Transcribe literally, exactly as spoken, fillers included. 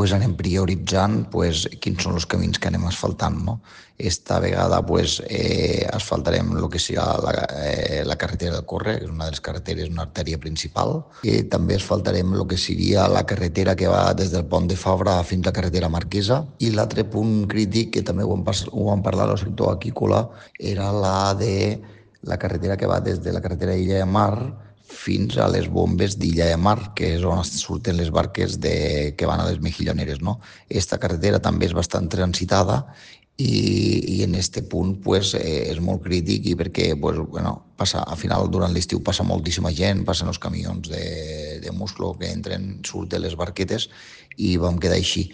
pues, anem prioritzant pues, quins són els camins que anem asfaltant. No? Esta vegada pues, eh, asfaltarem el que serà la, eh, la carretera del Corre, que és una de les carreteres, una artèria principal. I també asfaltarem el que seria la carretera que va des del pont de Fabra fins a la carretera Marquesa. I l'altre punt crític, que també ho vam, ho vam parlar al sector aquícola, era la de la carretera que va des de la carretera d'Illa de Mar fins a les bombes d'Illa de Mar, que és on surten les barques de, que van a les Mejilloneres. No? Esta carretera també és bastant transitada i, i en este punt pues, eh, és molt crític i perquè pues, bueno, passa, al final durant l'estiu passa moltíssima gent, passen els camions de, de musclo que entren, surten les barquetes i vam quedar així.